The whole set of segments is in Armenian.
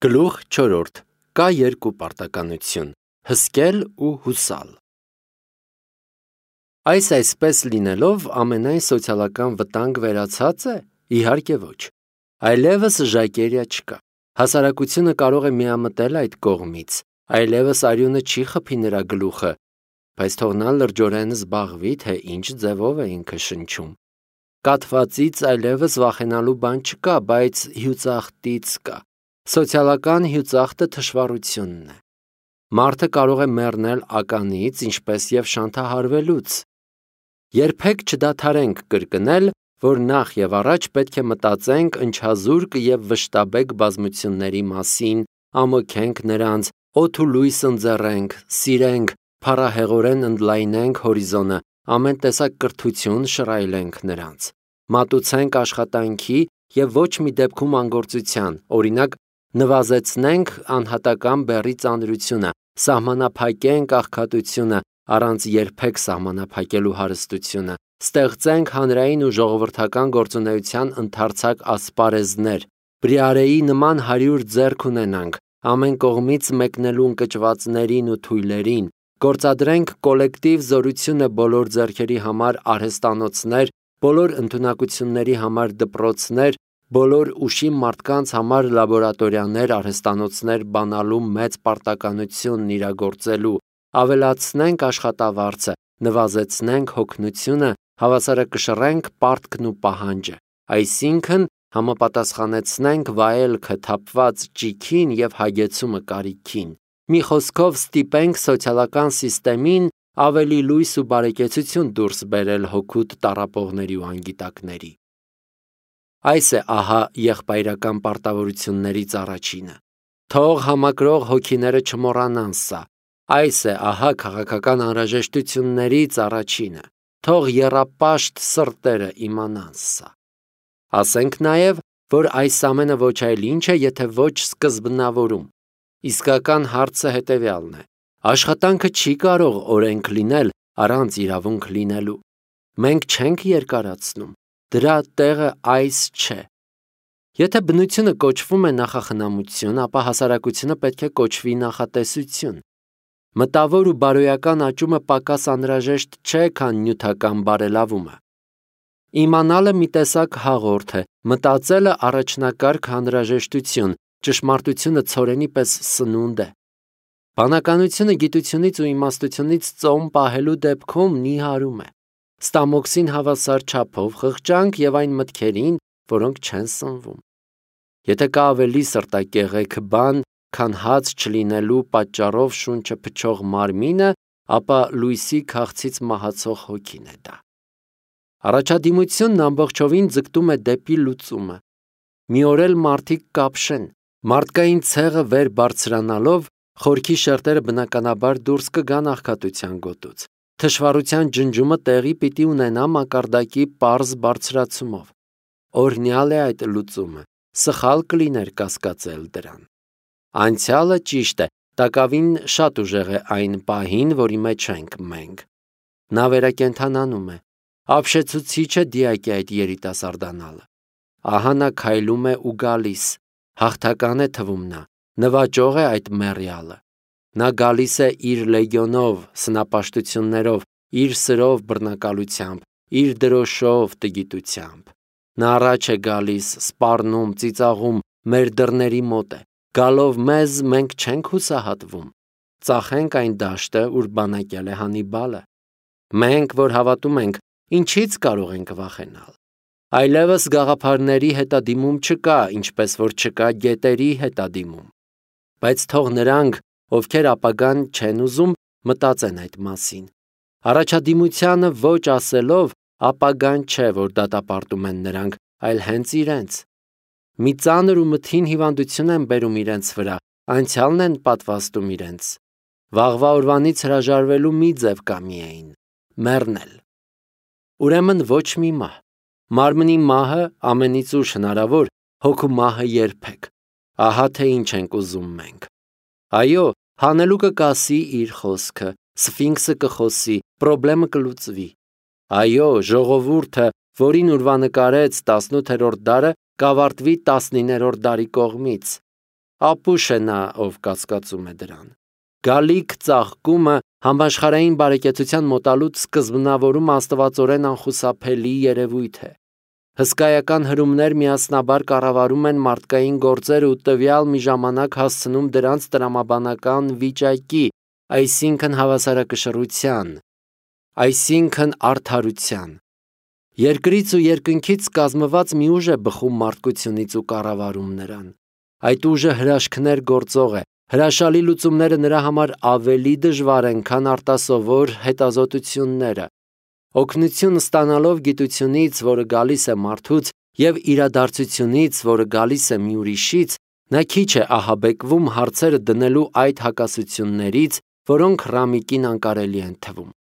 Գլուխ 4. Կա երկու պարտականություն՝ հսկել ու հուսալ։ Այս այսպես լինելով ամենայն սոցիալական վտանգ վերացած է։ Իհարկե ոչ։ Այլևս ժակերիա չկա։ Հասարակությունը կարող է միամտել այդ կողմից, այլևս արյունը չի խփի նրա գլուխը, բայց թող նա լրջորեն զբաղվի, թե ինչ ձևով է ինքը շնչում։ Կաթվածից այլևս վախենալու բան չկա, բայց հյուծախտից կա։ Սոցիալական հյուծախտը թշվառությունն է։ Մարդը կարող է մեռնել ականից, ինչպես եւ շանթահարվելուց։ Երբեք չդադարենք կրկնել, որ նախ եւ առաջ պետք է մտածենք ընչազուրկ եւ վշտաբեկ բազմությունների մասին, ամոքենք նրանց, օդ ու լույս ընձեռենք, սիրենք, փառահեղորեն ընդլայնենք հորիզոնը, ամեն տեսակ կրթություն շռայլենք նրանց, մատուցենք աշխատանքի եւ ոչ մի դեպքում անգործության, օրինակ նվազեցնենք անհատական բեռի ծանրությունը, սահմանափակենք աղքատությունը, առանց երբեք սահմանափակելու հարստությունը, ստեղծենք հանրային ու ժողովրդական գործունեության ընդարձակ ասպարեզներ, բրիարեի նման 100 ձեռք ունենանք, ամեն կողմից մեկնելու ընկճվածներին ու թույլերին, գործադրենք կոլեկտիվ զորությունը բոլոր ձեռքերի համար արհեստանոցներ, բոլոր ընդունակությունների համար դպրոցներ, բոլոր ուշի մարդկանց համար լաբորատորիաներ, արհեստանոցներ բանալու մեծ պարտականությունն իրագործելու, ավելացնենք աշխատավարձը, նվազեցնենք հոգնությունը, հավասարակշռենք պարտքն ու պահանջը, այսինքն համապատասխանեցնենք վայելքը թափված ճիգին եւ հագեցումը կարիքին։ Մի խոսքով ստիպենք սոցիալական սիստեմին ավելի լույս ու բարեկեցություն դուրս բերել հոգուտ տառապողների ու անգիտակների։ Այս է ահա եղբայրական պարտավորություններից առաջինը։ Թող համակրող հոգիները չմոռանան սա։ Այս է ահա քաղաքական անհրաժեշտություններից առաջինը։ Թող եռապաշտ սրտերը իմանան սա։ Ասենք նաև, որ այս ամենը ոչ այլ ինչ է, եթե ոչ սկզբնավորում։ Իսկական հարցը հետևյալն է. աշխատանքը չի կարող օրենք լինել առանց իրավունք լինելու։ Մենք չենք երկարացնում։ Դրա տեղը այս չէ։ Եթե բնությունը կոչվում է նախախնամություն, ապա հասարակությունը պետք է կոչվի նախատեսություն։ Մտավոր ու բարոյական աճումը պակաս անհրաժեշտ չէ, քան նյութական բարելավումը։ Իմանալը մի տեսակ հաղորդ է, մտածելը առաջնակարգ հանրաժեշտություն, ճշմարտությունը ցորենի պես սնունդ է։ Բանականությունը գիտությունից ու իմաստությունից ծոմ պահելու դեպքում նիհարում է։ Ստամոքսին հավասար չափով խղճանք եւ այն մտքերին, որոնք չեն սնվում։ Եթե կա ավելի սրտակեղեք բան, քան հաց չլինելու պատճառով շունչը փչող մարմինը, ապա լույսի քաղցից մահացող հոգին է դա։ Առաջադիմությունն ամբողջովին ձգտում է դեպի լուծումը։ Մի օր էլ մարդիկ կապշեն, մարդկային ցեղը վեր բարձրանալով, խորքի շերտերը բնականաբար դուրս կգան աղքատության գոտուց։ Թշվառության ջնջումը տեղի պիտի ունենա մակարդակի պարզ բարձրացումով։ Օրհնյալ է այդ լուծումը, սխալ կլիներ կասկածել դրան։ Անցյալը ճիշտ է, տակավին շատ ուժեղ է այն պահին, որի մեջ ենք մենք։ Նա վերակենդանանում է, ապշեցուցիչ է դիակի այդ երիտասարդանալը։ Ահա նա քայլում է ու գալիս, հաղթական է թվում նա, նվաճող է այդ մեռյալը։ Նա գալիս է իր լեգիոնով, սնապաշտություններով, իր սրով բռնակալությամբ, իր դրոշով տգիտությամբ։ Նա առաջ է գալիս, սպառնում, ծիծաղում, մեր դռների մոտ է։ Գալով մեզ մենք չենք հուսահատվում։ Ծախենք այն դաշտը, ուր բանակել է Հանիբալը։ Մենք, որ հավատում ենք, ինչից կարող ենք վախենալ։ Այլևս գաղափարների հետադիմում չկա, ինչպես որ չկա գետերի հետադիմում։ Բայց թող նրանք, ովքեր ապագան չեն ուզում, մտածեն այդ մասին։ Առաջադիմությանը ոչ ասելով, ապագան չէ, որ դատապարտում են նրանք, այլ հենց իրենց։ Մի ծանր ու մթին հիվանդություն են բերում իրենց վրա, անցյալն են պատվաստում իրենց։ Վաղվա օրվանից հրաժարվելու մի ձև կա միայն՝ մեռնել։ Ուրեմն ոչ մի մահ։ Մարմնի մահը ամենից ուշ հնարավոր, հոգու մահը երբեք։ Ահա թե ինչ ենք ուզում մենք։ Այո, հանելուկը կասի իր խոսքը, սֆինքսը կխոսի, պրոբլեմը կլուծվի։ Այո, ժողովուրդը, որին ուրվանկարեց 18-րդ դարը, կավարտվի 19-րդ դարի կողմից։ ապուշ է նա, ով կասկածում է դրան։ Գալիք ծաղկումը համաշխարհային բարեկեցության մոտալուտ սկզբնավորում աստվածորեն անխուսափելի երևույթ է։ Հսկայական հրումներ միասնաբար կառավարում են մարդկային գործերը ու տվյալ մի ժամանակ հասցնում դրանց տրամաբանական վիճակի, այսինքն հավասարակշռության, այսինքն արդարության։ Երկրից ու երկնքից կազմված մի ուժ է բխում մարդկությունից ու կառավարում նրան։ Այդ ուժը հրաշքներ գործող է, հրաշալի լուծումները նրա համար ավելի դժվար են, քան արտասովոր հետազոտությունները։ Օգնություն ստանալով գիտությունից, որը գալիս է մարդուց, եւ իրադարձությունից, որը գալիս է մի ուրիշից, նա քիչ է ահաբեկվում հարցերը դնելու այդ հակասություններից, որոնք Ռամիկին անկարելի են թվում։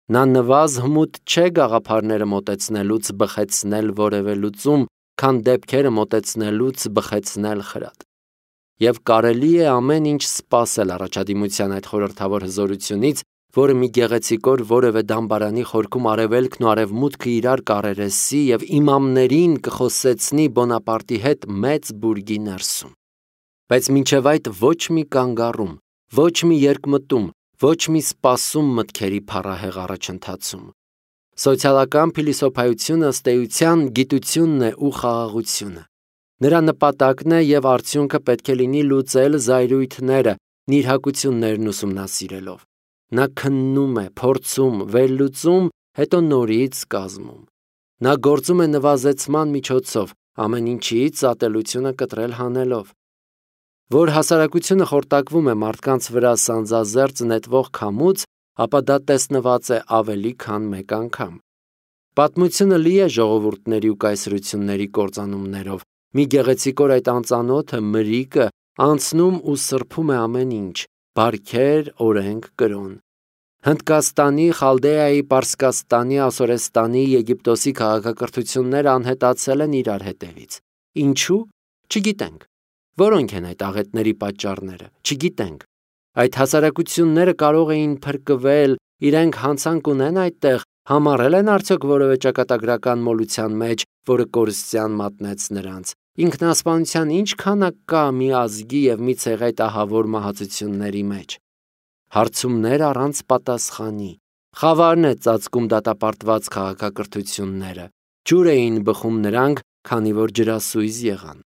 Նա նվազ հմուտ չէ գաղափարները մոտեցնելուց բխեցնել որևէ լուծում, քան դեպքերը մոտեցնելուց բխեցնել խրատ։ Եվ կարելի է ամեն ինչ սպասել առաջադիմության այդ խորհրդավոր հզորությունից, որը մի գեղեցիկ օր որևէ դամբարանի խորքում արևելքն ու արևմուտքը իրար կառերեսի եւ իմամներին կխոսեցնի Բոնապարտի հետ մեծ բուրգի ներսում։ Բայց մինչև այդ ոչ մի կանգառում, ոչ մի երկմտում, ոչ մի սպասում մտքերի փառահեղ առաջընթացում։ Սոցիալական փիլիսոփայությունը ըստ էության գիտությունն է ու խաղաղությունը։ Նրա նպատակն է եւ արդյունքը պետք է լինի լուծել զայրույթները, նիրհակություններն ուսումնասիրելով։ Նա քննում է, փորձում, վերլուծում, հետո նորից կազմում։ Նա գործում է նվազեցման միջոցով, ամեն ինչից ատելությունը կտրել հանելով։ Որ հասարակությունը խորտակվում է մարդկանց վրա սանձազերծ նետվող քամուց, ապա դա տեսնված է ավելի քան մեկ անգամ։ Պատմությունը լի է ժողովուրդների ու կայսրությունների կործանումներով։ Մի գեղեցիկ օր այդ անծանոթը մրիկը անցնում ու սրբում է ամեն ինչ՝ բարքեր, օրենք, կրոն։ Հնդկաստանի, Խալդեայի, Պարսկաստանի, Ասորեստանի, Եգիպտոսի քաղաքակրթությունները անհետացել են իրար հետևից։ Ինչու՞։ Չգիտենք։ Որոնք են այդ աղետների պատճառները։ Չգիտենք։ Այդ հասարակությունները կարող էին փրկվել, իրենք հանցանք ունեն այդտեղ, համառել են արդյոք որևէ ճակատագրական մոլության մեջ, որը կորստյան մատնեց նրանց։ Ինքնասպանության ինչ քանակ կա մի ազգի եւ մի ցեղի ահավոր մահացությունների մեջ։ Հարցումներ առանց պատասխանի։ Խավարն է ծածկում դատապարտված քաղաքակրթությունները։ Ջուր էին բխում նրանք, քանի որ ջրասույզ եղան։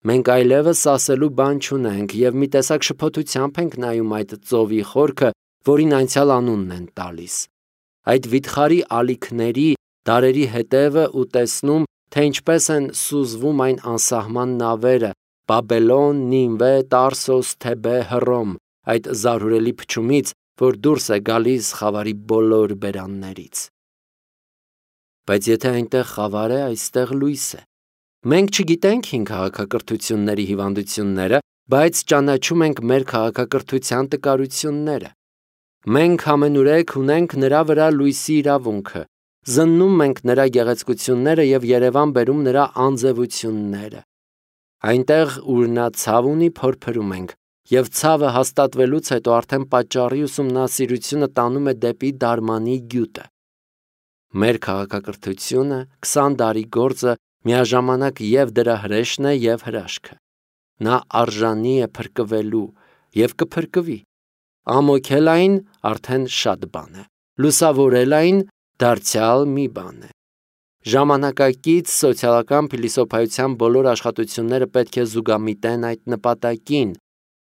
Մենք այլևս ասելու բան չունենք եւ մի տեսակ շփոթությամբ ենք նայում այդ ծովի խորքը, որին անցյալ անունն են տալիս։ Այդ վիթխարի ալիքների դարերի հետևը ու տեսնում, թե ինչպես են սուզվում այն անսահման նավերը՝ Բաբելոն, Նինվե, Տարսոս, Թեբե, Հռոմ, այդ զարհուրելի փչումից, որ դուրս է գալիս խավարի բոլոր բերաններից։ Բայց եթե այնտեղ խավար է, այստեղ լույս է։ Մենք չգիտենք հին քաղաքակրթությունների հիվանդությունները, բայց ճանաչում ենք մեր քաղաքակրթության տկարությունները։ Մենք ամենուրեք ունենք նրա վրա լույսի իրավունքը, զննում ենք նրա գեղեցկությունները եւ Երևան բերում նրա անձևությունները։ Այնտեղ, ուր նա ցավ ունի, փորփրում ենք, եւ ցավը հաստատվելուց հետո արդեն պատճառի ուսումնասիրությունը տանում է դեպի դարմանի գյուտը։ Մեր քաղաքակրթությունը 20 տարի գործը միաժամանակ եւ դրա հրեշն է եւ հրաշքը։ Նա արժանի է փրկվելու եւ կփրկվի։ Ամոքել այն արդեն շատ բան է։ Լուսավորել այն դարձյալ մի բան է։ Ժամանակակից սոցիալական փիլիսոփայության բոլոր աշխատությունները պետք է զուգամիտեն այդ նպատակին։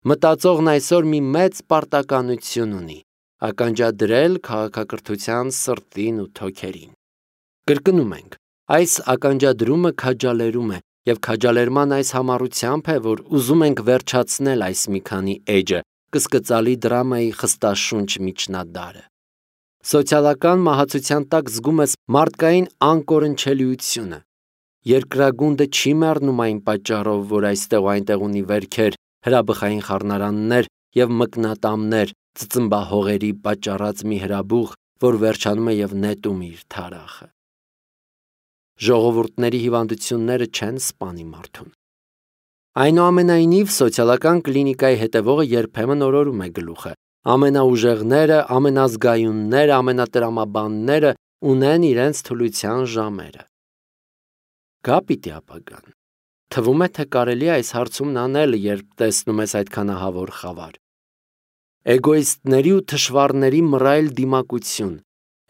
Մտածողն այսօր մի մեծ պարտականություն ունի՝ ականջադրել քաղաքակրթության սրտին ու թոքերին։ Կրկնում ենք, այս ականջադրումը քաջալերում է, եւ քաջալերման այս համառությամբ է, որ ուզում ենք վերջացնել այս մի քանի էջը, կսկծալի դրամայի խստաշունչ միջնադարը։ Սոցիալական մահացության տակ զգում ես մարդկային անկորնչելիությունը։ Երկրագունդը չի մեռնում այն պատճառով, որ այստեղ ու այնտեղ ունի վերքեր, հրաբխային խառնարաններ եւ մկնատամներ, ծծմբահողերի պատճառած մի հրաբուխ, որ վերջանում է եւ նետում իր թարախը։ Ժողովուրդների հիվանդությունները չեն սպանի մարդուն։ Այնուամենայնիվ, սոցիալական կլինիկայի հետևողը երբեմն օրորում է գլուխը։ Ամենաուժեղները, ամենազգայունները, ամենատրամաբանները ունեն իրենց թուլության ժամերը։ Գա պիտի ապագան։ Թվում է, թե կարելի է այս հարցումն անել, երբ տեսնում ես այդքան ահավոր խավար։ Էգոիստների ու թշվառների մռայլ դիմակություն,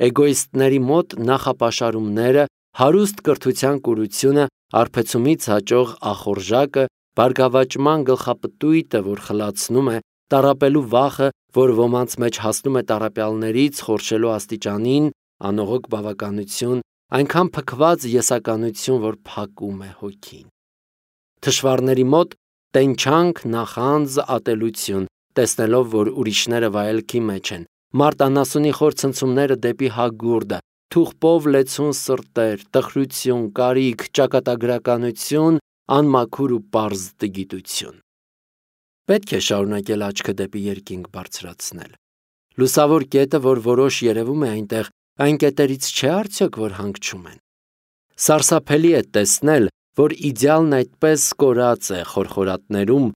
էգոիստների մոտ նախապաշարումները, հարուստ կրթության կուրությունը, արբեցումից հաճող ախորժակը, բարգավաճման գլխապտույտը, որ խլացնում է, տառապելու վախը, որ ոմանց մեջ հասնում է տառապյալներից խորշելու աստիճանին, անողոք բավականություն, այնքան փքված եսականություն, որ փակում է հոգին։ Թշվառների մոտ տենչանք, նախանձ, ատելություն, տեսնելով, որ ուրիշները վայելքի մեջ են, մարտանասունի խոր ցնցումները դեպի հագուրդը, թուղպով լեցուն սրտեր, տխրություն, կարիք, ճակատագրականություն, անմաքուր ու պարզ տգիտություն։ Պետք է շարունակել աչքը դեպի երկինք բարձրացնել։ Լուսավոր կետը, որ որոշ երևում է այնտեղ, այն կետերից չէ արդյոք, որ հանգչում են։ Սարսափելի է տեսնել, որ իդեալն այդպես կորած է խորխորատներում,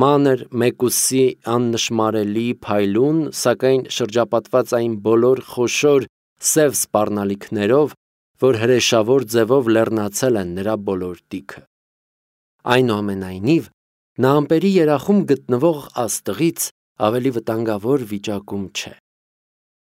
մանր, մեկուսի, աննշմարելի, փայլուն, սակայն շրջապատված այն բոլոր խոշոր, սև սպառնալիքներով, որ հրեշավոր ձևով լեռնացել են նրա բոլոր տիքը։ Այնուամենայնիվ, նա ամպերի երախում գտնվող աստղից ավելի վտանգավոր վիճակում չէ։